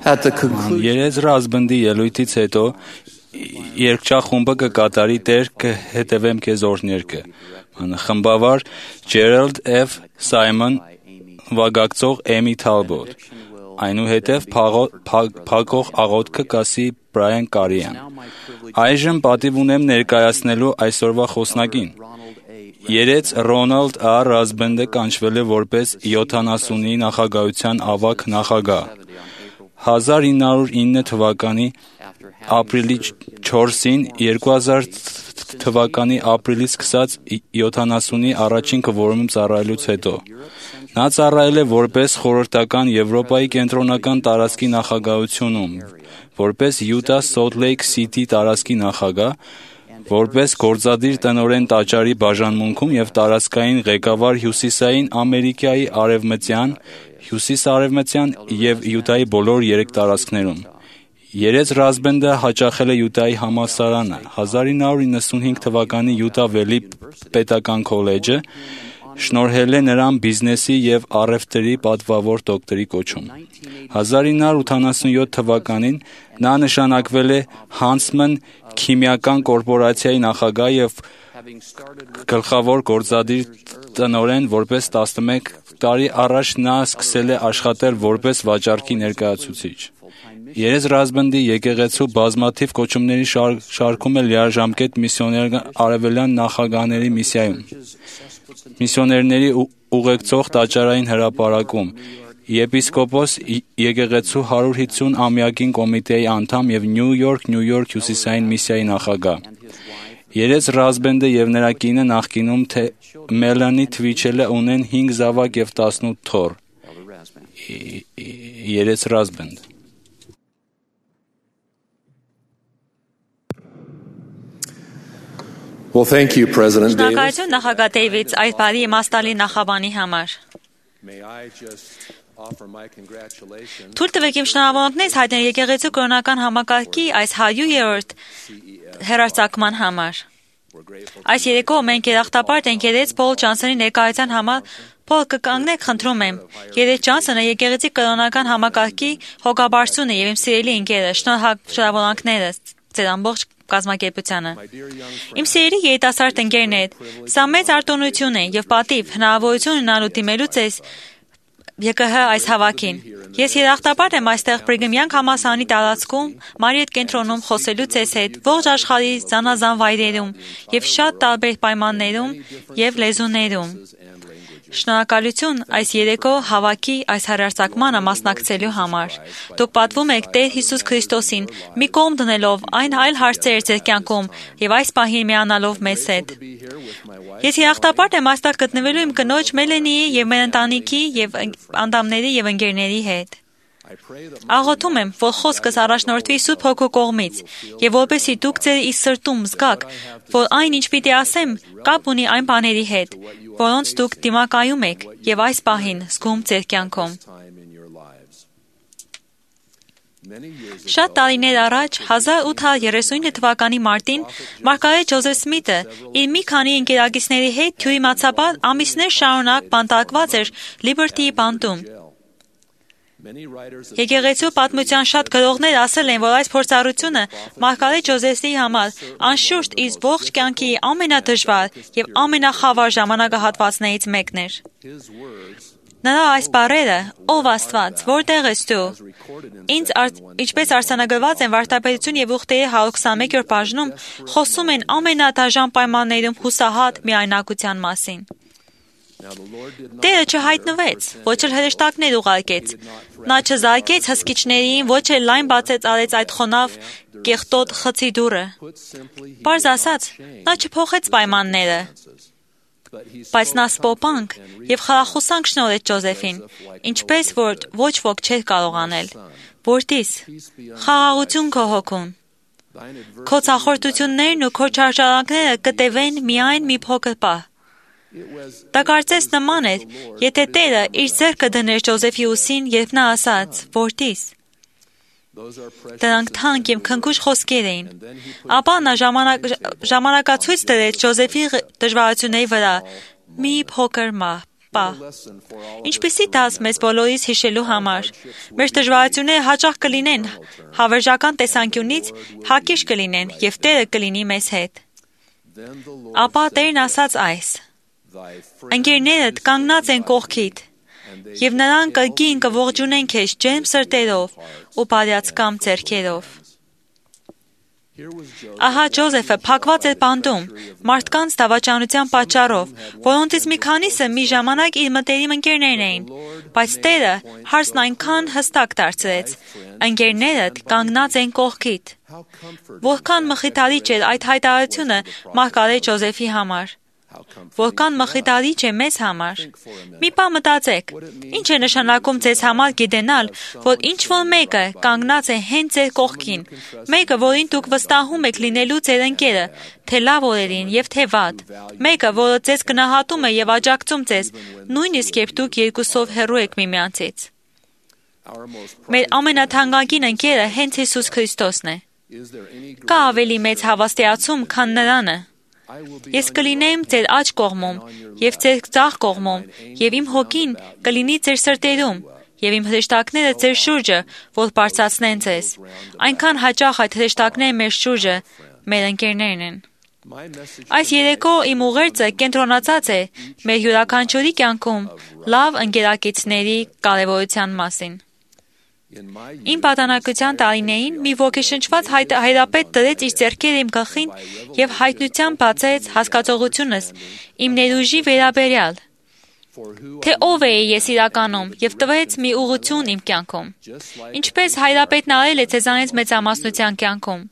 At the conclusion, Երես ռազմնդի ելույթից հետո երկչախումբը կկատարի տեր կհետևեմ քեզ օրհներկը։ Խմբավար Ջերալդ F. Սայմոն, վագակցող Էմի Թալբոտ, այնուհետև փակող աղոթքը կասի Բրայան Կարիյան։ Այժմ պատիվ ունեմ ներկայացնելու այսօրվա խոսնակին։ Երեց Ռոնալդ Ա. Ռազբենդը կանչվել է որպես 70-ի նախագահության ավագ նախագահ։ 1909 թվականի ապրիլի 4-ին 2000 թվականի ապրիլից սկսած 70-ի առաջին կվորումում ծառայելուց հետո նա ծառայել է որպես խորհրդական Եվրոպայի կենտրոնական տարածքի նախագահությունում, որպես Յուտա Սոլտ Լեյք Սիթի տարածքի նախագահ, որպես գործադիր տնօրեն տաճարի բաժանմունքում և տարածքային ղեկավար Հյուսիսային Ամերիկայի արևմտյան, հյուսիս-արևմտյան և Յուտայի բոլոր 3 տարածքներում։ Երեց Ռազբենդը հաճախել է Յուտայի համալսարանը, 1995 թվականի Յուտա Վելի պետական քոլեջը շնորհել է նրան բիզնեսի և առևտրի պատվավոր դոկտորի կոչում։ 1987 թվականին նա նշանակվել է Հանցման քիմիական կորպորացիայի նախագահ և գլխավոր գործադիր տնօրեն, որպես 11 տարի առաջ նա սկսել է աշխատել որպես վաճառքի ներկայացուցիչ։ Երեց Ռազբենդի եկեղեցու բազմաթիվ կոչումների շարքում է լիարժամկետ միսիոներ արևելյան նախագահների միսիայում, միսիոներների ուղեկցող տաճարային հրապարակում, եպիսկոպոս եկեղեցու 150-ամյակին կոմիտեի անդամ և Նյու Յորք հյուսիսային միսիայի նախագահ։ Երեց Ռազբենդը և նրա կինը նախկինում Մելանի Թվիչելը ունեն 5 զավակ և 18 թոռ։ Երեց Ռազբենդ։ well, thank you, President Davis. Շնորհակալություն նախագահ Դեյվիդս այս բարի իմաստալի նախաբանի համար։ May I just offer my congratulations Թույլ տվեք իմ շնորհավորանքներս հայտնել եկեղեցու կրոնական համակարգի այս 100-րդ հեռարձակման համար։ Այս երեկո մենք երախտապարտ ենք Երեց Փոլ Ջոնսոնի ներկայության համար։ Փոլ, կկանգնեք, խնդրում եմ։ Երեց Ջոնսոնը եկեղեցի կրոնական համակարգի հոգաբարձունն է եւ իմ սիրելի ընկերը։ Շնորհավորանքներս ձեր ամբողջ կազմակերպությանը։ Իմ սիրելի երիտասարդ ընկերներ, սա մեծ արտոնություն է եւ պատիվ հնարավորություն ունենալու դիմելու ձեզ ԵԿՀ այս հավաքին։ Ես երախտապարտ եմ այստեղ Բրիգհամյան համալսարանի տարածքում Մարիետ կենտրոնում խոսելու ձեզ հետ ողջ աշխարհի զանազան վայրերում եւ շատ տարբեր պայմաններում եւ լեզուներում։ Շնորհակալություն այս երեկո հավաքի այս հեռարձակմանը մասնակցելու համար։ Դուք պատվում եք Տեր Հիսուս Քրիստոսին, մի կողմ դնելով այն այլ հարցեր ձեր կյանքում եւ այս պահին միանալով մեզ հետ։ Ես երախտապարտ եմ այստեղ գտնվելու իմ կնոջ Մելենիի եւ մեր ընտանիքի եւ անդամների եւ ընկերների հետ։ Աղոթում եմ, որ խոսքս առաջնորդվի Սուրբ Հոգու կողմից, եւ որպեսզի դուք ձեր իր սրտում զգաք, որ այն ինչ պիտի ասեմ, կապ ունի այն բաների հետ, որոնց դուք դիմակայում եք եւ այս պահին զգում ձեր կյանքում։ Շատ տարիներ առաջ 1839 թվականի մարտին Մարգարետ Ջոզեֆ Սմիթը իր մի քանի ընկերակիցների հետ թյուրիմացաբար ամիսներ շարունակ բանտարկված էր Լիբերտիի բանտում։ Եկեղեցու պատմության շատ գրողներ ասել են, որ այս փորձառությունը Մարգարետ Ջոզեֆի համար անշուշտ իր ողջ կյանքի ամենադժվար եւ ամենախավար ժամանակահատվածներից մեկն էր։ Նրա այս բառերը՝ «Ով Աստված, որտեղ ես դու», ինչպես արձանագրված են Վարդապետություն եւ ուխտերի 121-րդ բաժնում, խոսում են ամենադաժան պայմաններում հուսահատ միայնակության մասին։ Տերը չհայտնվեց, ոչ էլ հրեշտակներ ուղարկեց։ Նա չզարկեց հսկիչներին, ոչ էլ լայն բացեց արեց այդ խոնավ կեղտոտ խցի դուռը։ Պարզ ասած, նա չփոխեց պայմանները, բայց նա սպոպանք եւ խրախուսանք շնորհեց Ջոզեֆին, ինչպես որ ոչ ոք չէր կարող անել։ Որդիս, խաղաղություն քո հոգուն։ Քո ցախորտություններն ու քո չարժանանքները կտևեն միայն մի փոքր պահ։ Դա կարծես նման էր, եթե Տերը իր ձեռքը դներ Ջոզեֆի ուսին, երբ նա ասաց. «Որդիս»։ Դրանք թանկ եւ քնքուշ խոսքեր էին։ Ապա նա ժամանակացույց դրեց Ջոզեֆի դժվարությունների վրա մի փոքր մահ, պահ։ Ինչպիսի դաս մեզ բոլորիս հիշելու համար։ Մեր դժվարությունները հաճախ կլինեն հավերժական տեսանկյունից հակիրճ կլինեն եւ Տերը կլինի մեզ հետ։ Ապա Տերն ասաց այս. ընկերներդ կանգնած են կողքիդ, եւ նրանք կգին կողջունեն քեզ ջերմ սրտերով ու բարյացկամ ձեռքերով։ Ահա Ջոզեֆը փակված էր բանտում մարդկանց դավաճանության պատճառով, որոնցից մի քանիսը մի ժամանակ իր մտերիմ ընկերներն էին, բայց Տերը հարցն այնքան հստակ դարձրեց. ընկերներդ կանգնած են կողքիդ։ Որքան մխիթարիչ էր այդ հայտարարությունը մարգարետ Ջոզեֆի համար։ Որքան մխիթարիչ է մեզ համար։ Մի բան մտածեք, ինչ է նշանակում ձեզ համար գիտենալ, որ ինչ-որ մեկը կանգնած է հենց ձեր կողքին, մեկը, որին դուք վստահում եք լինելու ձեր ընկերը, թե լավ օրերին եւ թե վատ, մեկը, որը ձեզ գնահատում է եւ աջակցում ձեզ, նույնիսկ երբ դուք երկուսով հեռու եք միմյանցից։ Մեր ամենաթանկագին ընկերը հենց Հիսուս Քրիստոսն է։ Կա ավելի մեծ հավաստիացում, քան նրանը։ Ես կլինեմ ձեր աջ կողմում եւ ձեր ձախ կողմում եւ իմ հոգին կլինի ձեր սրտերում եւ իմ հրեշտակները ձեր շուրջը, որ բարձրացնեն ձեզ։ Այնքան հաճախ այդ հրեշտակները մեր շուրջը մեր ընկերներն են։ Այս երեկո իմ ուղերձը կենտրոնացած է մեր յուրաքանչյուրի կյանքում լավ ընկերակիցների կարևորության մասին։ Իմ պատանեկության տարիներին մի ոգեշնչված հայրապետ դրեց իր ձեռքերը իմ գլխին եւ հայտնությամբ բացեց հասկացողությունս իմ ներուժի վերաբերյալ, թե ով էի ես իրականում եւ տվեց մի ուղղություն իմ կյանքում։ Ինչպես հայրապետն արել է ձեզանից մեծամասնության կյանքում։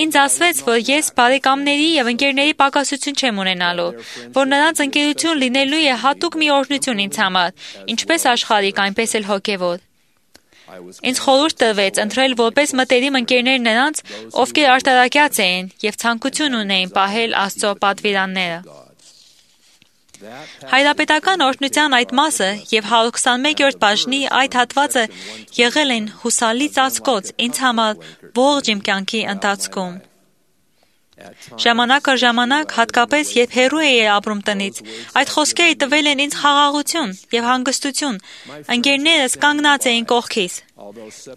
Ինձ ասվեց, որ ես բարեկամների եւ ընկերների պակասություն չեմ ունենալու, որ նրանց ընկերություն լինելու է հատուկ մի օրհնություն ինձ համար, ինչպես աշխարհիկ, այնպես էլ հոգեվոր։ Ինձ խորհուրդ տրվեց ընտրել որպես մտերիմ ընկերներ նրանց, ովքեր արտարակյաց էին եւ ցանկություն ունեին պահել Աստծո պատվիրանները։ Հայրապետական օրհնության այդ մասը եւ 121-րդ բաժնի այդ հատվածը եղել են հուսալի ծածկոց ինձ համար ողջ իմ կյանքի ընթացքում։ Ժամանակ առ ժամանակ, հատկապես երբ հեռու էի ապրում տնից, այդ խոսքերը տվել են ինձ խաղաղություն եւ հանգստություն։ Ընկերներս կանգնած էին կողքիս։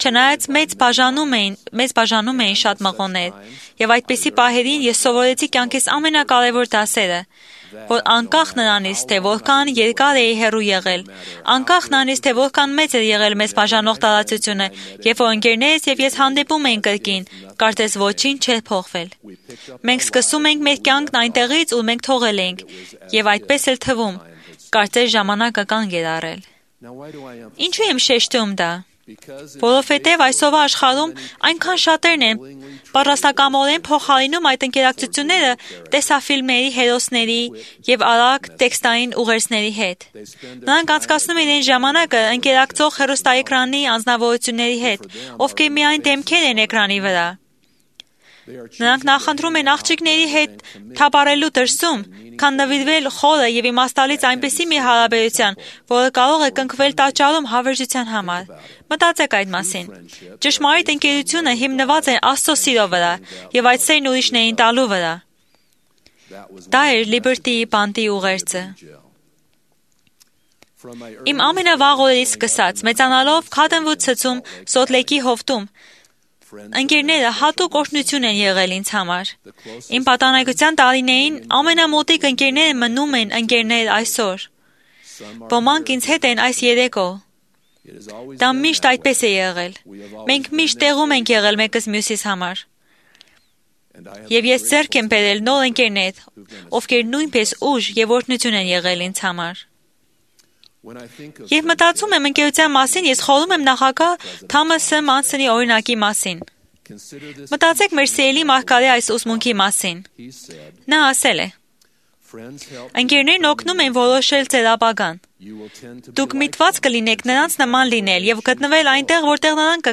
Չնայած մեզ բաժանում էին շատ մղոններ, եւ այդպիսի պահերին ես սովորեցի կյանքիս ամենակարևոր դասերը, որ անկախ նրանից, թե որքան երկար էի հեռու եղել, անկախ նրանից, թե որքան մեծ էր եղել մեզ բաժանող տարածությունը, երբ որ ընկերներս եւ ես հանդիպում էին կրկին, կարծես ոչինչ չէր փոխվել։ Մենք սկսում ենք մեր կյանքն այնտեղից, où մենք թողել ենք, եւ այդպես էլ թվում, կարծես ժամանակը կանգ էր առել։ Ինչու եմ շեշտում դա։ Որովհետև այսօրվա աշխարհում այնքան շատերն են պատրաստակամորեն փոխարինում այդ ընկերակցությունները տեսաֆիլմերի հերոսների եւ արագ տեքստային ուղերձների հետ։ Նրանք անցկացնում են ժամանակը ընկերակցող հեռուստաէկրանի անձնավորությունների հետ, ովքեր միայն դեմքեր են էկրանի վրա։ Նրանք նախընտրում են աղջիկների հետ թափառելու դրսում, քան նվիրվել խորը եւ իմաստալից այնպիսի մի հարաբերության, որը կարող է կնքվել տաճարում հավերժության համար։ Մտածեք այդ մասին։ Ճշմարիտ ընկերությունը հիմնված է Աստծո սիրո վրա եւ այդ սերն ուրիշներին տալու վրա։ Դա էր Liberty-ի բանտի ուղերձը։ Իմ ամենավաղ օրերից սկսած, մեծանալով Cottonwood ցցում Սոթլեյքի հովտում, ընկերները հատուկ օրհնություն են եղել ինձ համար։ Իմ պատանեկության տարիներին ամենամոտիկ ընկերները մնում են ընկերներ այսօր։ Ոմանք ինձ հետ են այս երեկո։ Դա միշտ այդպես է եղել։ Մենք միշտ տեղում ենք եղել մեկս մյուսիս համար։ Եվ ես ձեռք եմ բերել նոր ընկերներ, ովքեր նույնպես ուժ եւ օրհնություն են եղել ինձ համար։ Եվ մտածում եմ ընկերության մասին, ես խորհում եմ նախագահ Թամաս Մանսոնի օրինակի մասին։ Մտածեք մեր սիրելի մարգարեի այս ուսմունքի մասին։ Նա ասել է. ընկերներն օգնում են որոշել ձեր ապագան։ Դուք միտված կլինեք նրանց նման լինել եւ գտնվել այնտեղ, որտեղ նրանք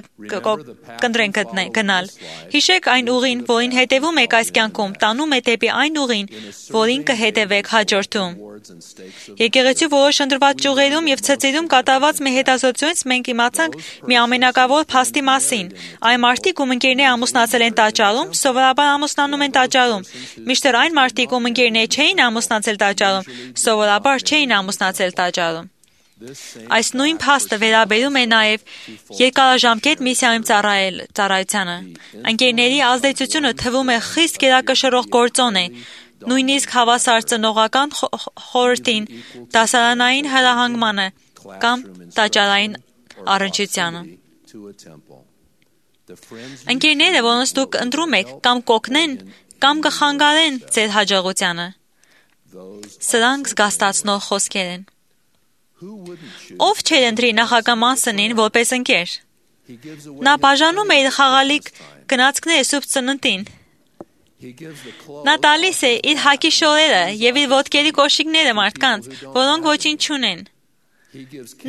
կընտրեն գնալ։ Հիշեք այն ուղին, որին հետևում եք այս կյանքում, տանում է դեպի այն ուղին, որին կհետևեք հաջորդում։ Եկեղեցու որոշ ընտրված ճյուղերում եւ ցածրերում կատարված մի հետազոտությունից մենք իմացանք մի ամենակարևոր փաստի մասին։ Այն մարդիկ, ում ընկերները ամուսնացել են տաճարում, սովորաբար ամուսնանում են տաճարում, մինչդեռ այն մարդիկ, ում ընկերները չէին ամուսնացել տաճարում, սովորաբար չէին ամուսնացել տաճարում։ Այս նույն փաստը վերաբերում է նաև երկարաժամկետ միսիայում ծառայությանը։ Ընկերների ազդեցությունը թվում է խիստ գերակշռող գործոն է, նույնիսկ հավասար ծնողական խորհրդին, դասարանային հրահանգմանը կամ տաճարային առնչությանը։ Ընկերները, որոնց դուք ընտրում եք, կամ կօգնեն, կամ կխանգարեն ձեր հաջողությանը։ Սրանք զգաստացնող խոսքեր են։ Ով չէր ընտրի նախագահ Մանսոնին որպես ընկեր։ Նա բաժանում է իր խաղալիք գնացքները Սուրբ Ծննդին։ Նա տալիս է իր հագի շորերը եւ իր ոտքերի կոշիկները մարդկանց, որոնք ոչինչ չունեն։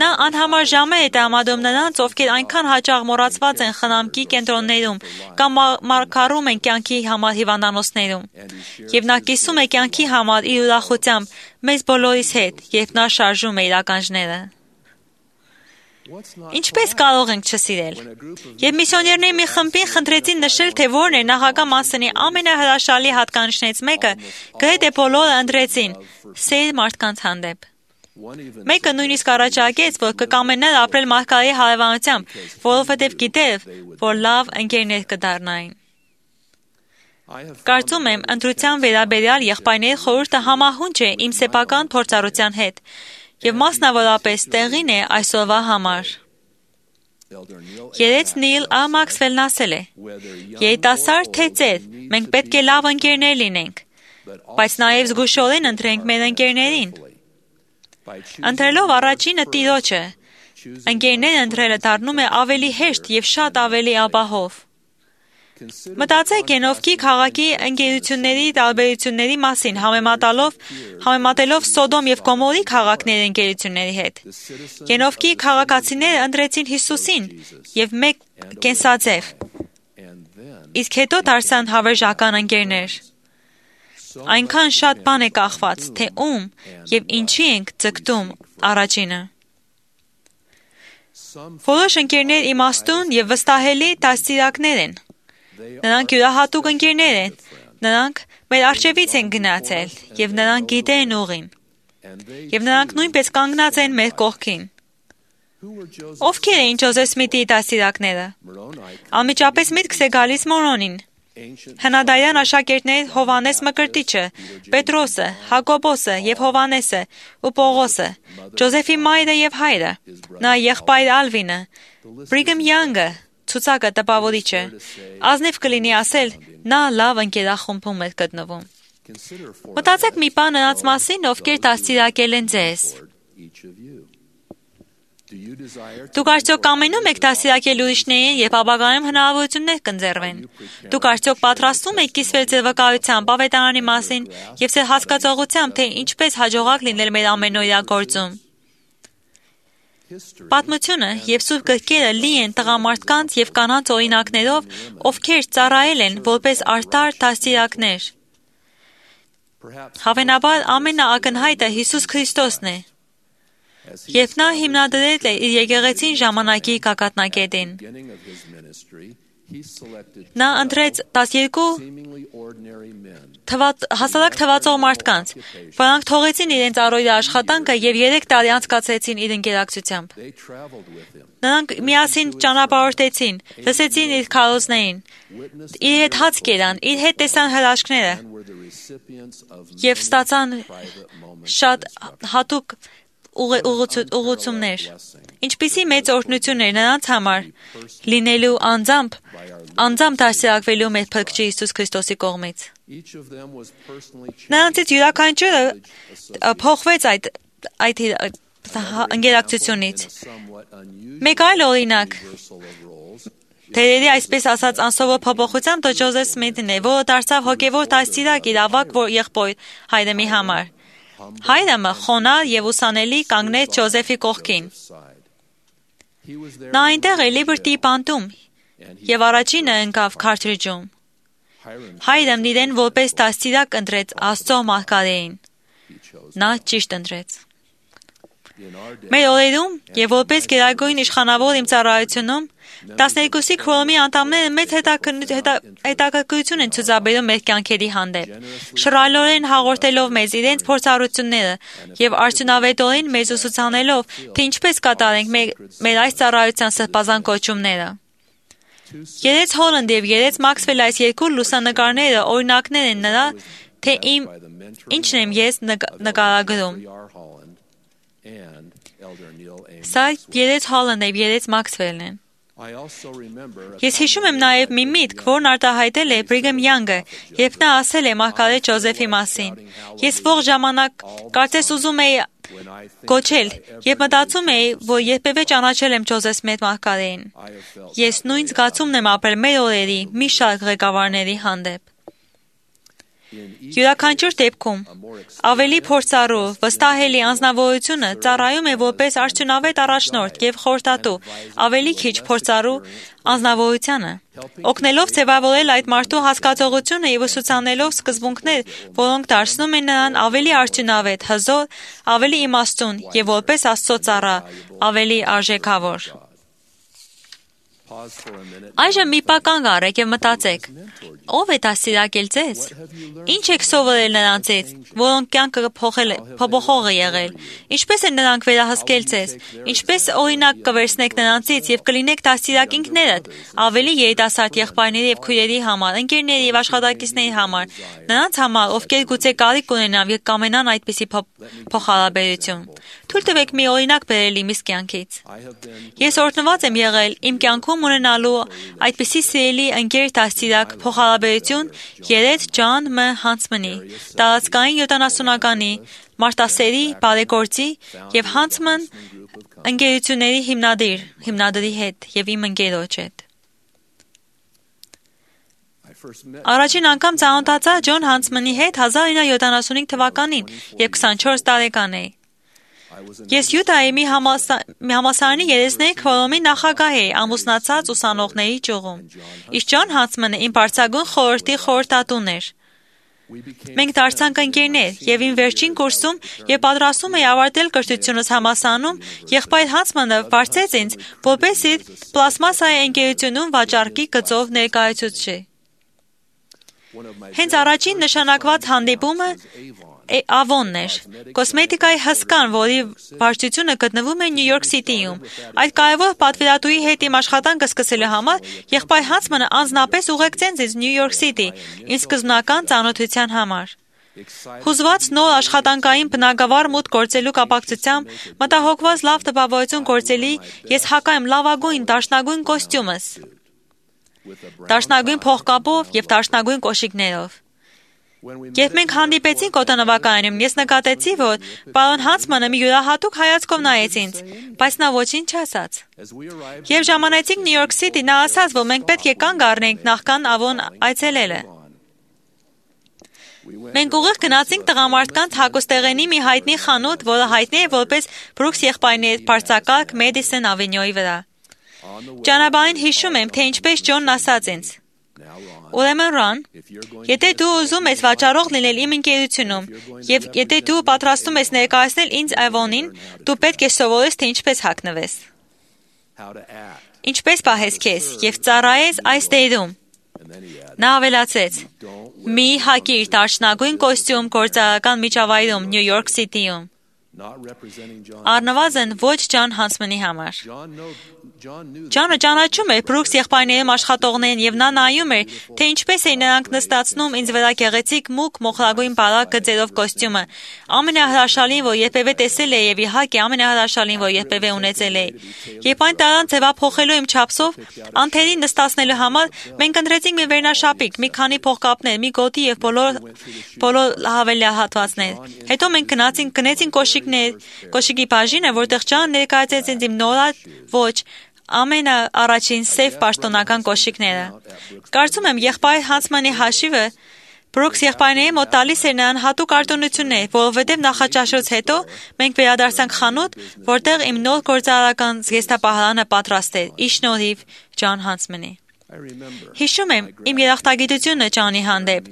Նա անհամար ժամեր է տրամադրում նրանց, ովքեր այնքան հաճախ մոռացված են խնամքի կենտրոններում կամ մարգարում են կյանքի համար հիվանդանոցներում։ Եվ նա կիսում է կյանքի համար իր ուրախությամբ մեզ բոլորիս հետ, երբ նա շարժում է իր ականջները։ Ինչպես կարող ենք չսիրել։ Եվ միսիոներների մի խմբին խնդրեցին նշել, թե որն է նախագահ Մանսոնի ամենահրաշալի հատկանիշներից մեկը, գրեթե բոլորը ընտրեցին՝ սեր մարդկանց հանդեպ։ Մեկը նույնիսկ առաջարկեց, որ կկամենար ապրել մարգարեի հարևանությամբ, որովհետև գիտեր, որ լավ ընկերներ կդառնային։ Կարծում եմ, ընտրության վերաբերյալ եղբայրների խորհուրդը համահունչ է իմ սեփական փորձառության հետ, եւ մասնավորապես տեղին է այսօրվա համար։ Երեց Նիլ Ա. Մաքսվելն ասել է. «Երիտասարդ թե ծեր, մենք պետք է լավ ընկերներ լինենք, բայց նաեւ զգուշորեն ընտրենք մեր ընկերներին։ Ընտրելով առաջինը Տիրոջը, ընկերներ ընտրելը դառնում է ավելի հեշտ եւ շատ ավելի ապահով։ Մտածեք Ենովքի քաղաքի ընկերությունների տարբերությունների մասին, համեմատելով Սոդոմ եւ Գոմորի քաղաքների ընկերությունների հետ։ Ենովքի քաղաքացիները ընտրեցին Հիսուսին եւ մեկ կենսաձև, իսկ հետո դարձան հավերժական ընկերներ։ Այնքան շատ բան է կախված, թե ում եւ ինչի ենք ձգտում առաջինը։ Որոշ ընկերներ իմաստուն եւ վստահելի դաստիարակներ են։ Նրանք յուրահատուկ ընկերներ են, նրանք մեր առջևից են գնացել եւ նրանք գիտեն ուղին։ Եվ նրանք նույնպես կանգնած են մեր կողքին։ Ովքեր էին Ջոզեֆ Սմիթի դաստիարակները։ Անմիջապես միտքս է գալիս Մորոնին։ Հնադարյան աշակերտներից Հովանես Մկրտիչը, Պետրոսը, Հակոբոսը եւ Հովանեսը ու Պողոսը, Ջոզեֆի մայրը եւ հայրը, նա եղբայր Ալվինը, Բրիգեմ Յանգը, ցուցակը տպավորիչը, ազնիվ կլինի ասել, նա լավ ընկերախումբում էր գտնվում։ Մտածեք մի բան նրանց մասին, ովքեր դաստիարակել են ձեզ։ Դուք արդյոք կամենում եք դաստիարակել ուրիշներին, երբ ապագայում հնարավորություններ կընձեռվեն։ Դուք արդյոք պատրաստվում եք կիսվել ձեր վկայությամբ ավետարանի մասին եւ ձեր հասկացողությամբ, թե ինչպես հաջողակ լինել մեր ամենօրյա գործում։ Պատմությունը եւ սուրբ գրքերը լի են տղամարդկանց եւ կանանց օրինակներով, ովքեր ծառայել են որպես արդար դաստիարակներ։ Հավանաբար ամենաակնհայտը Հիսուս Քրիստոսն է։ Երբ նա հիմնադրել է իր եկեղեցին ժամանակի գագաթնակետին, նա ընտրեց 12 հասարակ թվացող մարդկանց, որոնք թողեցին իրենց առօրյա աշխատանքը եւ 3 տարի անցկացրեցին իր ընկերակցությամբ։ Նրանք միասին ճանապարհորդեցին, լսեցին իր քարոզներին, իր հետ հաց կերան, իր հետ տեսան հրաշքները եւ ստացան շատ հատուկ ուղղություններ։ Ինչպիսի մեծ օրհնություն էր նրանց համար լինելու անձամբ դաստիարակվելու մեր Փրկչի Հիսուս Քրիստոսի կողմից։ Նրանցից յուրաքանչյուրը փոխվեց այդ ընկերակցությունից։ Մեկ այլ օրինակ Թերերի այսպես ասած անսովոր փոփոխությամբ Ջոզեֆ Սմիթն է, որը դարձավ հոգևոր դաստիարակ իր ավագ եղբոր Հայրեմի համար։ Հայրամը խոնարհ եւ ուսանելի կանգնեց Ջոզեֆի կողքին։ Նա այնտեղ է Լիբերտի բանտում եւ առաջինը ընկավ քարտրիջում։ Հայրամն իրեն որպես դաստիարակ ընտրեց Աստծո մարգարեին։ Նա ճիշտ ընտրեց։ Մեր օրերում եւ որպես գերագույն իշխանավոր իմ ծառայությունում 12-ի քվորոմի անդամները մեծ հետաքրքրություն են ցուցաբերում մեր կյանքերի հանդեպ, շռայլորեն հաղորդելով մեզ իրենց փորձառությունները եւ արդյունավետորեն մեզ ուսուցանելով, թե ինչպես կատարենք մեր այս ծառայության սրբազան կոչումները։ Երեց Հոլանդ եւ երեց Մաքսվել այս երկու լուսանկարները օրինակներ են նրա, թե ինչն եմ ես նկարագրում։ Սա երեց Հոլանդը եւ երեց Մաքսվելն են։ Ես հիշում եմ նաև մի միտք, որն արտահայտել է Բրիգեմ Յանգը, երբ նա ասել է մարգարե Ջոզեֆի մասին։ Ես ողջ ժամանակ կարծես ուզում էի գոչել, եւ մտածում էի, որ երբևէ ճանաչել եմ Ջոզեֆ մեծ մարգարեին։ Ես նույն զգացումն եմ ապրել մեր օրերի մի շարք ղեկավարների հանդեպ։ Յուրաքանչյուր դեպքում ավելի փորձառու, վստահելի անձնավորությունը ծառայում է որպես արդյունավետ առաջնորդ եւ խորհրդատու, ավելի քիչ փորձառու անձնավորությանը, օգնելով ձևավորել այդ մարդու հասկացողությունը եւ ուսուցանելով սկզբունքներ, որոնք դարձնում են նրան ավելի արդյունավետ, հզոր, ավելի իմաստուն եւ որպես Աստծո ծառա, ավելի արժեքավոր։ Այժմ մի պահ կանգ առեք եւ մտածեք. ով է դաստիարակել ձեզ։ Ինչ եք սովորել նրանցից, որոնք կյանքը փոփոխող է եղել։ Ինչպես են նրանք վերահսկել ձեզ։ Ինչպես օրինակ կվերցնեք նրանցից եւ կլինեք դաստիարակ ինքներդ, ավելի երիտասարդ եղբայրների եւ քույրերի համար, ընկերների եւ աշխատակիցների համար, նրանց համար, ովքեր գուցե կարիք ունենան եւ կամենան այդպիսի փոխհարաբերություն։ Թույլ տվեք մի օրինակ բերել իմ կյանքից։ Ես օրհնված եմ եղել իմ կյանքում ունենալու այդպիսի սիրելի ընկեր դաստիարակ փոխհարաբերություն երեց Ջոն Մ. Հանցմանի, տարածքային 70-ականի, մարտասերի, բարեգործի եւ Հանցման ընկերությունների հիմնադրի հետ եւ իմ ընկերոջ հետ։ Առաջին անգամ ծանոթացա Ջոն Հանցմանի հետ 1975 թվականին, երբ 24 տարեկան էի։ Ես Յուտայի մի համալսարանի երեսների քվորոմի նախագահ էի ամուսնացած ուսանողների ճյուղում, իսկ Ջոն Հանցմանը իմ բարձրագույն խորհրդի խորհրդատուն էր։ Մենք դարձանք ընկերներ եւ իմ վերջին կուրսում եւ պատրաստում էի ավարտել կրթությունս համալսարանում, եղբայր Հանցմանը վարձեց ինձ, որպես իր պլաստմասայի ընկերությունում վաճառքի գծով ներկայացուցիչ։ Հենց առաջին նշանակված հանդիպումը Avon-ն էր, կոսմետիկայի հսկան, որի վարչությունը գտնվում է Նյու Յորք Սիթիում։ Այդ կարևոր պատվիրատուի հետ իմ աշխատանքը սկսելու համար եղբայր Հանցմանը անձնապես ուղեկցեց ինձ Նյու Յորք Սիթի, ինձ սկզբնական ծանոթության համար։ Հուզված նոր աշխատանքային բնագավառ մուտք գործելու կապակցությամբ, մտահոգված լավ տպավորություն գործելի, ես հակա եմ լավագույն դաշնագույն կոստյումս, դաշնագույն փողկապով եւ դաշնագույն կոշիկներով։ Երբ մենք հանդիպեցինք օդանավակայանում, ես նկատեցի, որ պարոն Հանցմանը մի յուրահատուկ հայացքով նայեց ինձ, բայց նա ոչինչ չասաց։ Երբ ժամանեցինք Նյու Յորք Սիթի, նա ասաց, որ մենք պետք է կանգ առնենք նախքան Avon այցելելը։ Մենք ուղիղ գնացինք տղամարդկանց հագուստեղենի մի հայտնի խանութ, որը հայտնի է որպես Brooks եղբայրների բարձրակարգ Madison Avenue-ի վրա։ Ճանապարհին հիշում եմ, թե ինչպես Ջոնն ասաց ինձ. Ուրեմն Ռան, եթե դու ուզում ես վաճառող լինել իմ ընկերությունում, եւ եթե դու պատրաստում ես ներկայացնել ինձ Avon-ին, դու պետք է սովորես, թե ինչպես հագնվես։ Ինչպես պահես քեզ եւ ծառայես այս դերում։ Նա ավելացրեց. մի հագիր դաշնագույն կոստյում գործարարական միջավայրում Նյու Յորք Սիթիում։ Առնվազն ոչ Ջոն Հանցմանի համար։ Ջոնը ճանաչում էր Brooks եղբայրներում աշխատողներին եւ նա նայում էր, թե ինչպես էին նրանք նստացնում ինձ վրա գեղեցիկ մուգ մոխրագույն բարակ գծերով կոստյումը, ամենահրաշալին, որ երբևէ տեսել էի եւ իհարկե ամենահրաշալին, որ երբևէ ունեցել էի։ Երբ այն տարան ձևափոխելու իմ չափսով, անթերի նստացնելու համար մենք ընտրեցինք մի վերնաշապիկ, մի քանի փողկապներ, մի գոտի եւ բոլոր հավելյալ Հետո մենք գնացինք կոշիկի բաժինը, որտեղ Ջան ներկայացրեց ինձ իմ նորած ոչ ամենաառաջին սև պաշտոնական կոշիկները։ Կարծում եմ եղբայր Հանցմանի հաշիվը Բրուքս եղբայրների մոտ տալիս էր նրան հատուկ արտոնություններ, որովհետև նախաճաշից հետո մենք վերադարձանք խանութ, որտեղ իմ նոր գործարարական զգեստապահարանը պատրաստ էր, ի շնորհիվ Ջոն Հանցմանի։ Հիշում եմ իմ երախտագիտությունը Ջոնի հանդեպ։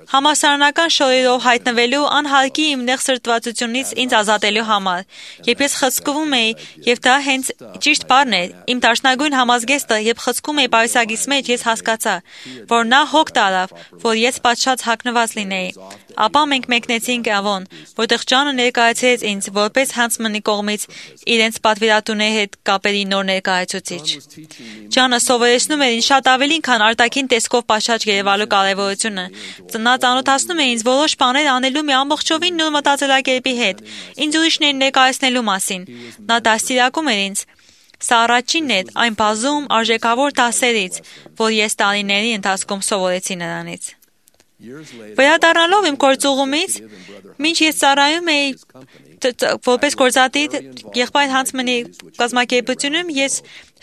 Համասարանական շոուերով հայտնվելու անհարկի իմ նեղ սրտվածությունից ինձ ազատելու համար, երբ ես խցկվում էի, եւ դա հենց ճիշտ բառն էր, իմ դաշնագույն համազգեստը, երբ խցկում էի պայուսագիս մեջ, ես հասկացա, որ նա հոգ տարավ, որ ես պատշաճ հագնված լինեի։ Ապա մենք մեկնեցինք Ավոն, որտեղ Ջոնը ներկայացրեց ինձ որպես Հանցմանի կողմից իրենց պատվիրատուների հետ կապերի նոր ներկայացուցիչ։ Ջոնը սովորեցնում էր ինձ շատ ավելին, քան արտաքին տեսքով պատշաճ երևալու կարևորությունը։ Նա ծանոթացնում է ինձ որոշ բաներ անելու մի ամբողջովին նոր մտածելակերպի հետ, ինձ ուրիշներին ներկայացնելու մասին։ Նա դաստիարակում էր ինձ։ Սա առաջինն էր այն բազում արժեքավոր դասերից, որ ես տարիների ընթացքում սովորեցի նրանից։ Վերադառնալով իմ գործուղումից, մինչ ես ծառայում էի որպես գործադիր եղբայր Հանցմանի կազմակերպությունում, ես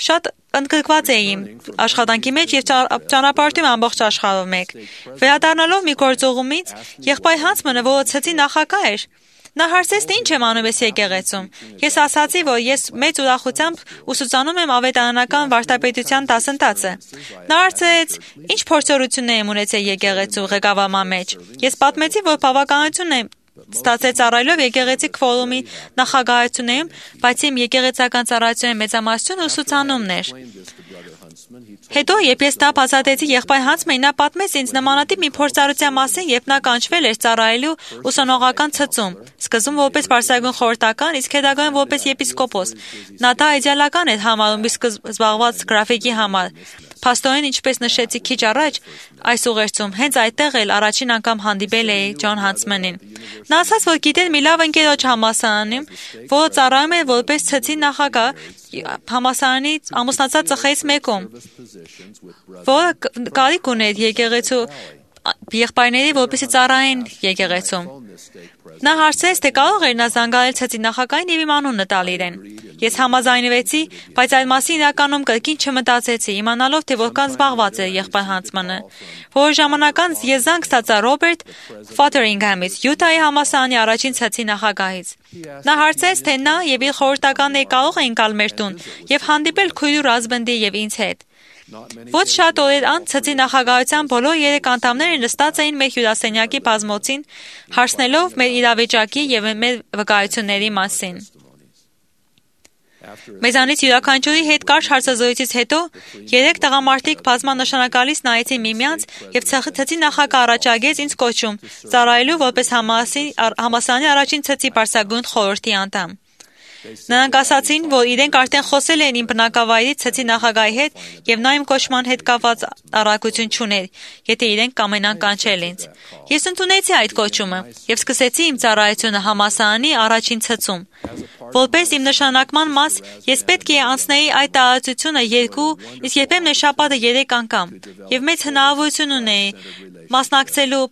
շատ ընդգրկված էի իմ աշխատանքի մեջ եւ ճանապարհում ամբողջ աշխարհով մեկ։ Վերադառնալով մի գործուղումից, եղբայր Հանցմանը, որը ցեցի նախագահ էր, նա հարցեց, թե ինչ եմ անում ես եկեղեցում։ Ես ասացի, որ ես մեծ ուրախությամբ ուսուցանում եմ ավետարանական վարդապետության դասընթացը։ Նա հարցրեց, ինչ փորձառություններ եմ ունեցել եկեղեցու ղեկավարման մեջ։ Ես պատմեցի, որ բավականություն եմ ստացել ծառայելով եկեղեցի քվորումի նախագահությունում, բայց իմ եկեղեցական ծառայությունների մեծամասնությունը ուսուցանումն էր։ Հետո, երբ ես դա բացատրեցի եղբայր Հանցմանին, նա պատմեց ինձ նմանատիպ մի փորձառության մասին, երբ նա կանչվել էր ծառայելու ուսանողական ցծում, սկզբում որպես պարսկագույն խորհրդական, իսկ հետագայում որպես եպիսկոպոս։ Նա դա իդեալական էր համարում իսկ զբաղված գրաֆիկի համար։ Փաստորեն, ինչպես նշեցի քիչ առաջ, այս ուղերձում հենց այդտեղ էլ առաջին անգամ հանդիպել էի Ջոն Հանցմանին։ Նա ասաց, որ գիտեր մի լավ ընկերոջ համալսարանում, որը ծառայում էր որպես ցծի նախագահ համալսարանի ամուսնացած ծխերից մեկում, որը կարիք ուներ եկեղեցու եղբայրների, որպեսզի ծառայեն եկեղեցում։ Նա հարցրեց, թե կարող էր նա զանգահարել ցծի նախագահին եւ իմ անունը տալ իրեն։ Ես համաձայնվեցի, բայց այդ մասին իրականում կրկին չմտածեցի, իմանալով, թե որքան զբաղված էր եղբայր Հանցմանը։ Որոշ ժամանակ անց ես զանգ ստացա Ռոբերտ Ֆոթերինգհամից, Յուտայի համալսարանի առաջին ցծի նախագահից։ Նա հարցրեց, թե նա եւ իր խորհրդականները կարող էին գալ մեր տուն եւ հանդիպել քույրու Ռազբնդի եւ ինձ հետ։ Ոչ շատ օրեր անց ցծի նախագահության բոլոր 3 անդամները նստած էին մեր հյուրասենյակի բազմոցին, հարցնելով մեր իրավիճակի եւ մեր վկայությունների մասին։ Մեզանից յուրաքանչյուրի հետ կարճ հարցազրույցից հետո 3 տղամարդիկ բազմանշանակալից նայեցին միմյանց եւ ցծի նախագահը առաջարկեց ինձ կոչում ծառայելու որպես համալսարանի առաջին ցծի պարսկագույն խորհրդի անդամ։ Նրանք ասացին, որ իրենք արդեն խոսել են իմ բնակավայրի ցծի նախագահի հետ եւ նա իմ կոչման հետ կապված առարկություն չուներ, եթե իրենք կամենան կանչել ինձ։ Ես ընդունեցի այդ կոչումը եւ սկսեցի իմ ծառայությունը համալսարանի առաջին ցծում։ Որպես իմ նշանակման մաս, ես պետք է անցնեի այդ տարածությունը 2, իսկ երբեմն շաբաթը 3 անգամ, եւ մեծ հնարավորություն ունեի մասնակցելու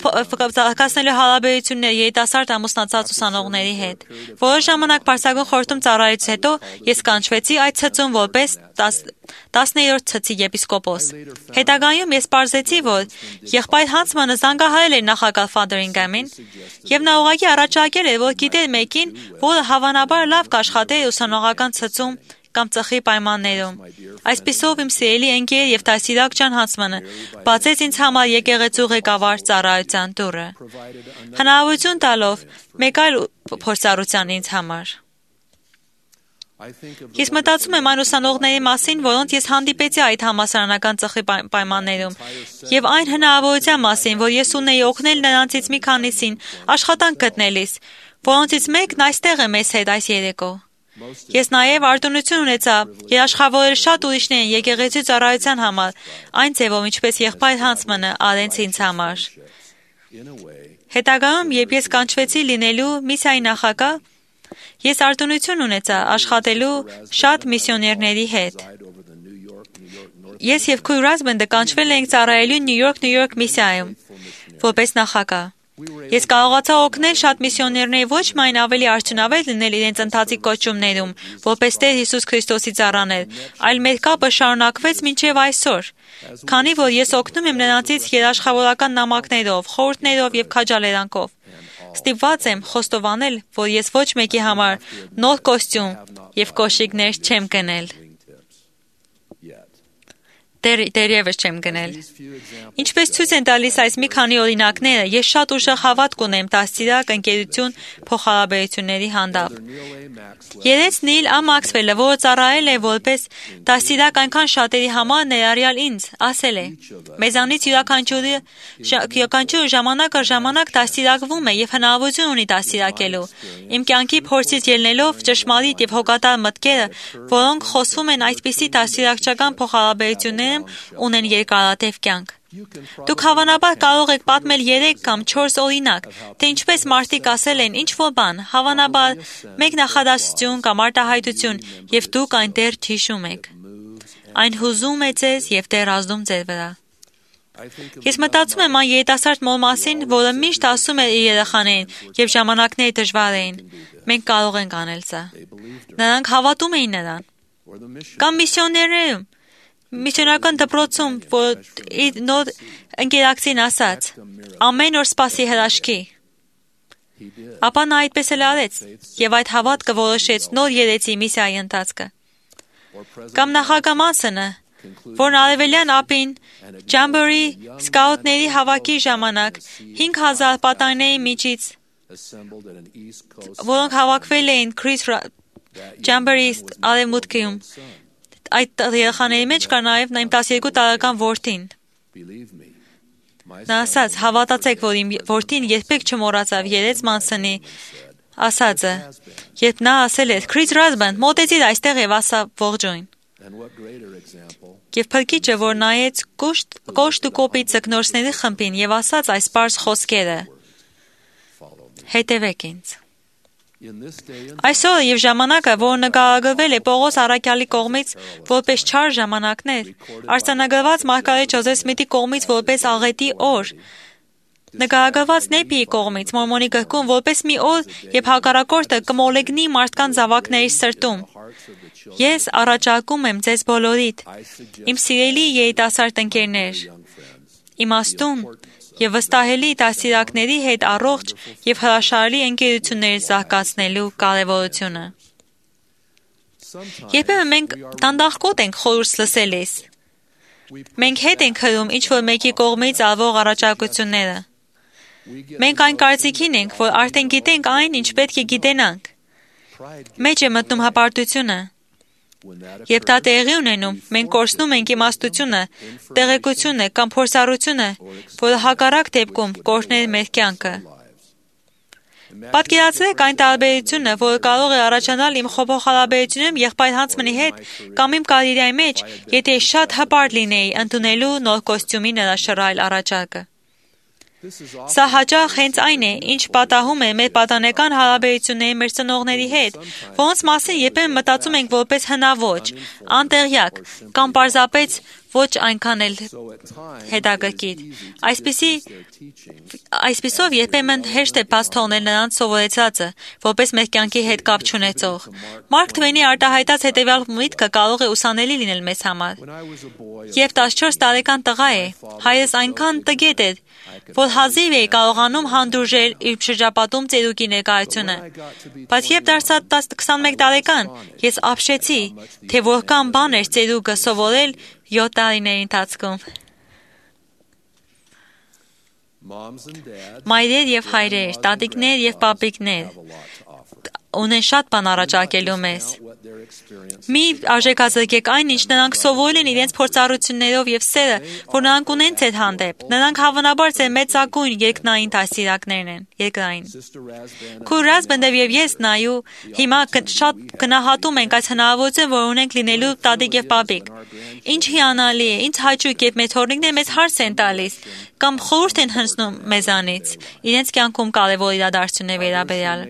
կազմելու հարաբերություններ երիտասարդ ամուսնացած ուսանողների հետ։ Որոշ ժամանակ պարսկագույն խորհրդում ծառայելուց հետո ես կանչվեցի այդ ցծում որպես 10-րդ ցծի եպիսկոպոս։ Հետագայում ես պարզեցի, որ եղբայր Հանցմանը զանգահարել էր նախագահ Ֆոթերինգհամին, եւ նա ուղղակի առաջարկել էր, որ գիտեր մեկին, որը հավանաբար լավ կաշխատեր ուսանողական ցծում կամ ծխի պայմաններում։ Այսպիսով իմ սիրելի ընկեր եւ դասիրակ Ջոն Հանցմանը բացեց ինձ համար եկեղեցու ղեկավար ծառայության դուռը, հնարավորություն տալով մեկ այլ փորձառության ինձ համար։ Ես մտածում եմ այն ուսանողների մասին, որոնց ես հանդիպեցի այդ համալսարանական ծխի պայմաններում, եւ այն հնարավորության մասին, որ ես ունեի օգնել նրանցից մի քանիսին աշխատանք գտնելիս, որոնցից մեկն այստեղ է մեզ հետ այս երեկո։ Ես նաև արտոնություն ունեցա երաշխավորել շատ ուրիշներին եկեղեցու ծառայության համար, այն ձևով, ինչպես եղբայր Հանցմանը արեց ինձ համար։ Հետագայում, երբ ես կանչվեցի լինելու միսիայի նախագահ, ես արտոնություն ունեցա աշխատելու շատ միսիոներների հետ։ Ես եւ քույր Ռազբնդը կանչվել էինք ծառայելու Նյու Յորք միսիայում, որպես նախագահ։ Ես կարողացա օգնել շատ միսիոներների ոչ միայն ավելի արդյունավետ լինել իրենց ընթացիկ կոչումներում, որպես Տեր Հիսուս Քրիստոսի ծառաներ, այլ մեր կապը շարունակվեց մինչև այսօր, քանի որ ես օգնում եմ նրանցից երաշխավորական նամակներով, խորհուրդներով եւ քաջալերանքով։ Ստիպված եմ խոստովանել, որ ես ոչ մեկի համար նոր կոստյում եւ կոշիկներ չեմ գնել։ Դերևս չեմ գնել։ Ինչպես ցույց են տալիս այս մի քանի օրինակները, ես շատ ուժեղ հավատք ունեմ դաստիարակ ընկերություն փոխհարաբերությունների հանդեպ։ Երեց Նիլ Ա. Մաքսվելը, որը ծառայել է որպես դաստիարակ այնքան շատերի համար, ներառյալ ինձ, ասել է. մեզանից յուրաքանչյուրը ժամանակ առ ժամանակ դաստիարակվում է եւ հնարավորություն ունի դաստիարակելու։ Իմ կյանքի փորձից ելնելով ճշմարիտ եւ հոգատար մտքերը, որոնք խոսում են այսպիսի դաստիարակչական փոխհարաբերություններ ունեն երկարատև կյանք։ Դուք հավանաբար կարող եք պատմել 3 կամ 4 օրինակ, թե ինչպես մարդիկ ասել են ինչ-որ բան, հավանաբար մեկ նախադասություն կամ արտահայտություն, եւ դուք այն դեռ հիշում եք։ Այն հուզում է ձեզ եւ դեռ ազդում ձեր վրա։ Ես մտածում եմ այն երիտասարդ մոր մասին, որը միշտ ասում է իր երեխաներին, եւ ժամանակները դժվար էին։ Մենք կարող ենք անել սա։ Նրանք հավատում էին նրան։ Կամ միսիոներներում Միսիոնական դպրոցում, որ իր նոր ընկերակցին ասաց. ամեն օր սպասի հրաշքի։ Ապա նա այդպես էլ արեց, եւ այդ հավատքը որոշեց նոր երեցի միսիայի ընթացքը։ Կամ նախագահ Մանսոնը, որն արևելյան ափին Ջամբորի սկաուտների հավաքի ժամանակ 5000 պատանիների միջից, որոնք հավաքվել էին Ջամբորի արևմուտքում, այդ երեխաների մեջ կար նաև իմ 12 տարեկան որդին։ Նա ասաց, հավատացեք, որ իմ որդին երբեք չմոռացավ երեց Մանսոնի ասածը, երբ նա ասել էր. Քրիս Ռազբանդ, մոտեցիր այստեղ եւ ասա ողջույն։ Եվ փրկիչը, որ նայեց կոշտ ու կոպիտ ձկնորսների խմբին եւ ասաց այս պարզ խոսքերը. հետևեք ինձ։ Այսօր եւ ժամանակը, որ նկարագրվել է Պողոս առաքյալի կողմից որպես չար ժամանակներ, արձանագրված Մարգարետ Ջոզեֆ Սմիթի կողմից որպես աղետի օր, նկարագրված Նեպիի կողմից Մորմոնի գրքում որպես մի օր, երբ հակառակորդը կմոլեգնի մարդկանց զավակների սրտում։ Ես առաջարկում եմ ձեզ բոլորիդ, իմ սիրելի երիտասարդ ընկերներ, իմաստուն եւ վստահելի դաստիարակների հետ առողջ եւ հրաշալի ընկերություններ զարգացնելու կարեւորությունը։ Երբեմն մենք դանդաղկոտ ենք խորհուրդ լսելիս։ Մենք հետ ենք հրում ինչ-որ մեկի կողմից արվող առաջարկությունները։ Մենք այն կարծիքին ենք, որ արդեն գիտենք այն, ինչ պետք է գիտենանք։ Մեջ է մտնում հպարտությունը։ Երբ դա տեղի ունենում, մենք կորցնում ենք իմաստությունը, տեղեկությունը կամ փորձառությունը, որը հակառակ դեպքում կօրհներ մեր կյանքը։ Պատկերացրեք այն տարբերությունը, որը կարող է առաջանալ իմ փոխհարաբերությունում եղբայր Հանցմանի հետ կամ իմ կարիերայի մեջ, եթե շատ հպարտ լինեի ընդունելու նոր կոստյումի նրա շռայլ առաջարկը։ Սա հաճախ հենց այն է, ինչ պատահում է մեր պատանեկան հարաբերությունների մեր ծնողների հետ, որոնց մասին երբեմն մտածում ենք որպես հնաոճ, անտեղյակ կամ պարզապես ոչ այնքան էլ հետաքրքիր։ Այսպիսով երբեմն հեշտ է բաց թողնել նրանց սովորեցածը, որպես մեր կյանքի հետ կապ չունեցող։ Մարկ Թվեյնի արտահայտած հետևյալ միտքը կարող է ուսանելի լինել մեզ համար։ Երբ 14 տարեկան տղա է, հայրս այնքան տգետ էր, որ հազիվ էի կարողանում հանդուրժել իր շրջապատում ծերուկի ներկայությունը։ Բայց երբ դարձա 21 տարեկան, ես ապշեցի, թե որքան բան էր ծերուկը սովորել 7 տարիների ընթացքում։ Մայրեր եւ հայրեր, տատիկներ եւ պապիկներ ունեն շատ բան առաջարկելու մեզ։ Մի արժեքազրկեք այն, ինչ նրանք սովորել են իրենց փորձառություններով եւ սերը, որ նրանք ունեն ձեր հանդեպ։ Նրանք հավանաբար ձեր մեծագույն երկնային դաստիարակներն են, երկրային։ Քույր Ռազբանդով եւ ես նայու հիմա շատ գնահատում ենք այս հնարավորությունը, որ ունենք լինելու տատիկ եւ պապիկ։ Ինչ հիանալի է, ինչ հաճույք, երբ մեր թորնիկները մեզ հարց են տալիս կամ խորհուրդ են հնցնում մեզանից իրենց կյանքում կարևոր իրադարձությունների վերաբերյալ։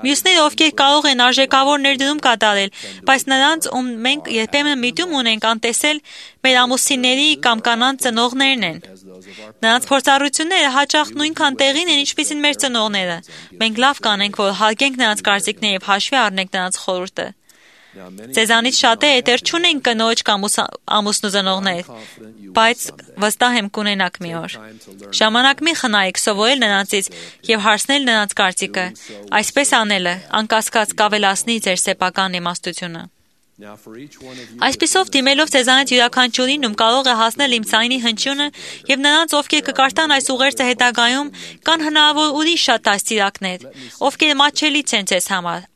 Մյուսները, ովքեր կարող են արժեքավոր ներդրում կատարել բայց նրանց, ում մենք երբեմն միտում ունենք անտեսել, մեր ամուսինների կամ կանանց ծնողներն են։ Նրանց փորձառությունները հաճախ նույնքան տեղին են, ինչպիսին մեր ծնողները։ Մենք լավ կանենք, որ հարգենք նրանց կարծիքները եւ հաշվի առնենք նրանց խորհուրդը։ Ձեզանից շատերը դեռ չունեն կնոջ կամ ամուսնու ծնողներ, բայց վստահ եմ կունենաք մի օր։ Ժամանակ մի խնայեք սովորել նրանցից եւ հարցնել նրանց կարծիքը։ Այսպես անելը անկասկած կավելացնի ձեր սեփական իմաստությունը։ Այսպիսով դիմելով ձեզանից յուրաքանչյուրին, ում կարող է հասնել իմ ձայնի հնչյունը եւ նրանց, ովքեր կկարդան այս ուղերձը հետագայում, կան հնարավոր ուրիշ շատ դաստիարակներ, ովքեր մատչելից են ձեզ համար։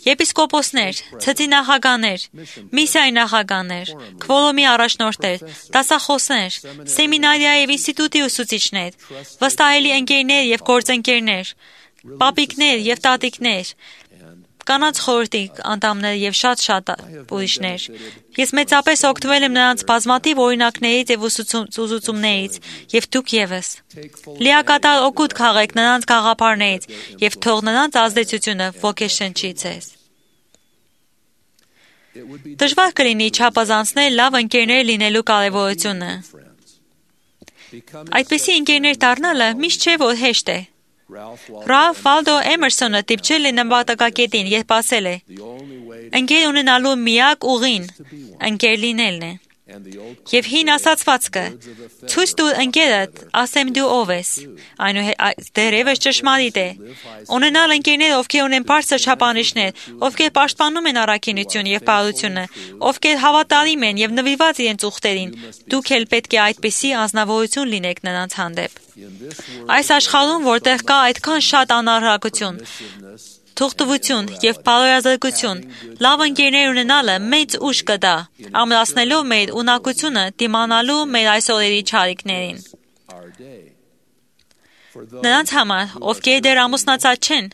Եպիսկոպոսներ, ցծի նախագահներ, միսիայի նախագահներ, քվորոմի առաջնորդներ, դասախոսներ, սեմինարիա եւ ինստիտուտի ուսուցիչներ, վստահելի ընկերներ եւ գործընկերներ, պապիկներ եւ տատիկներ, կանանց խորհրդի անդամներ եւ շատ ուրիշներ։ Ես մեծապես օգտվել եմ նրանց բազմաթիվ օրինակներից եւ ուսուցումներից, եւ դուք եւս։ Լիակատար օգուտ քաղեք նրանց գաղափարներից եւ թող նրանց ազդեցությունը ոգեշնչի ձեզ։ Դժվար կլինի չափազանցնել լավ ընկերներ լինելու կարևորությունը։ Այդպիսի ընկերներ դառնալը միշտ չէ որ հեշտ է։ Ռալֆ Վալդո Էմերսոնը դիպչել է նպատակակետին, երբ ասել է. ընկեր ունենալու միակ ուղին ընկեր լինելն է։ Եվ հին ասացվածքը ցույց տուր ընկերդ, ասեմ դու ով ես, դեռևս ճշմարիտ է։ Ունենալ ընկերներ, ովքեր ունեն բարձր չափանիշներ, ովքեր պաշտպանում են առաքինությունը եւ բարությունը, ովքեր հավատարիմ են եւ նվիրված իրենց ուխտերին, դուք էլ պետք է այդպիսի անznավորություն լինեք նրանց հանդեպ։ Այս աշխարհում, որտեղ կա այդքան շատ անարհակություն, թուղթվություն եւ բարոյազրկություն, լավ ընկերներ ունենալը մեծ ուժ կտա, ամրացնելով մեր ունակությունը դիմանալու մեր այս օրերի չարիքներին։ Նրանց համար, ովքեր դեռ ամուսնացած չեն,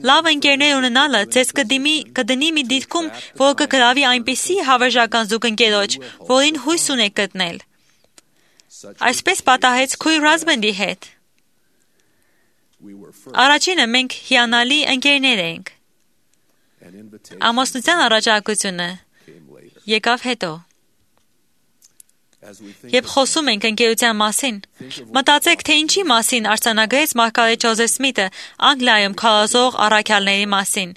լավ ընկերներ ունենալը ձեզ կդնի մի դիրքում, որ կգրավի այնպիսի հավերժական զուգընկերոջ, որին հույս ունեք գտնել։ Այսպես պատահեց քույր Ռազբենդի հետ։ Առաջինը մենք հիանալի ընկերներ ենք։ Ամուսնության առաջարկությունը եկավ հետո։ Երբ խոսում ենք ընկերության մասին, մտածեք, թե ինչի մասին արձանագրեց Մարգարետ Ջոզեֆ Սմիթը Անգլիայում քարոզող առաքյալների մասին։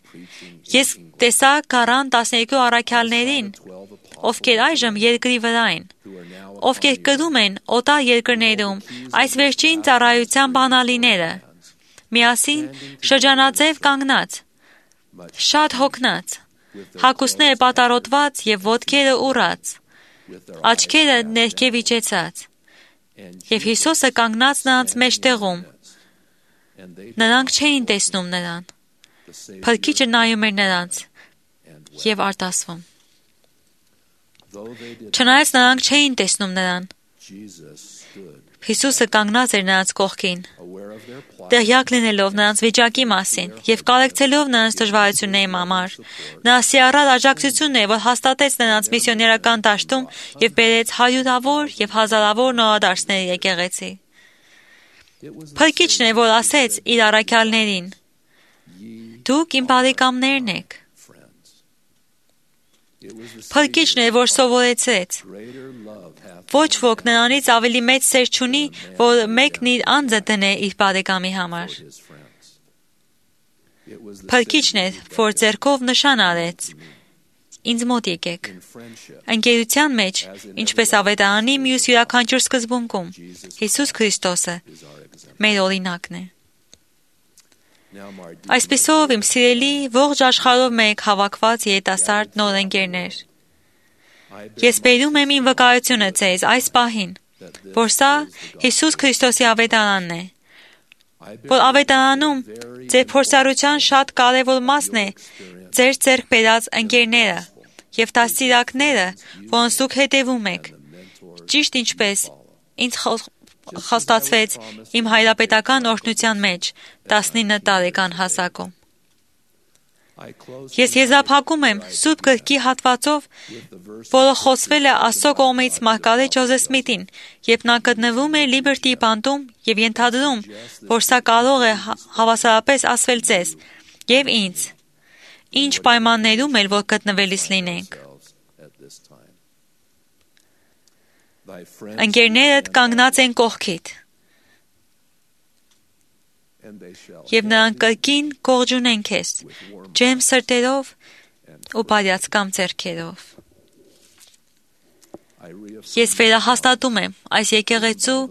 Ես տեսա 12 առաքյալներին, ովքեր այժմ երկրի վրա են, ովքեր կրում են օտար երկրներում այս վերջին ծառայության բանալիները, միասին շրջանաձև կանգնած, շատ հոգնած, հագուստները պատառոտված եւ ոտքերը ուռած, աչքերը ներքև իջեցած, եւ Հիսուսը կանգնած նրանց մեջտեղում։ Նրանք չէին տեսնում նրան, Փրկիչը նայում էր նրանց եւ արտասվում։ Չնայած նրանք չէին տեսնում նրան, Հիսուսը կանգնած էր նրանց կողքին, տեղյակ լինելով նրանց վիճակի մասին եւ կարեկցելով նրանց դժվարությունների համար, նա սիրառած աջակցությունն է, որ հաստատեց նրանց միսիոներական դաշտում եւ բերեց հարյուրավոր եւ հազարավոր նորադարձներ եկեղեցի։ Փրկիչն է, որ ասեց իր առաքյալներին. «Դուք իմ բարեկամներն եք»։ Փրկիչն է, որ սովորեցրեց. ոչ ոք նրանից ավելի մեծ սեր չունի, որ մեկն իր անձը դնե իր բարեկամի համար։ Փրկիչն է, որ ձեռքով նշան արեց. ինձ մոտ եկեք։ Ընկերության մեջ, ինչպես ավետարանի մյուս յուրաքանչյուր սկզբունքում, Հիսուս Քրիստոսը մեր օրինակն է։ Այսպիսով, իմ սիրելի, ողջ աշխարհով մեկ հավաքված երիտասարդ նոր ընկերներ, ես բերում եմ իմ վկայությունը ձեզ այս պահին, որ սա Հիսուս Քրիստոսի ավետարանն է, որ ավետարանում ձեր փորձառության շատ կարևոր մասն է ձեր ձեռք բերած ընկերները եւ դաստիարակները, որոնց դուք հետևում եք, ճիշտ ինչպես ինձ խոստացվեց իմ հայրապետական օրհնության մեջ 19 տարեկան հասակում։ Ես եզրափակում եմ Սուրբ գրքի հատվածով, որը խոսվել է Աստծո կողմից Մարգարետ Ջոզեֆ Սմիթին, երբ նա գտնվում է Լիբերտի բանտում եւ ենթադրում, որ սա կարող է հավասարապես ասվել ձեզ եւ ինձ։ ինչ պայմաններում էլ որ գտնվելիս լինենք։ Ընկերներդ կանգնած են կողքիդ, եւ նրանք կրկին կողջունեն քեզ, ջերմ սրտերով ու բարյացկամ ձեռքերով։ Ես վերահաստատում եմ այս եկեղեցու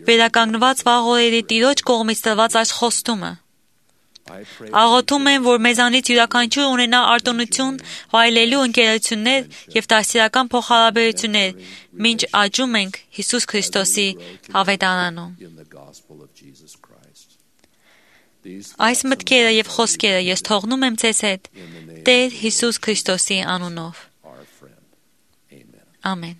վերականգնված վաղ օրերի Տիրոջ կողմից տրված այս խոստումը։ Աղոթում եմ, որ մեզանից յուրաքանչյուր ունենա արտոնություն վայելելու ընկերություններ եւ դասիրական փոխհարաբերություններ, մինչ աճում ենք Հիսուս Քրիստոսի ավետարանում։ Այս մտքերը եւ խոսքերը ես թողնում եմ ձեզ հետ Տեր Հիսուս Քրիստոսի անունով։ Ամեն։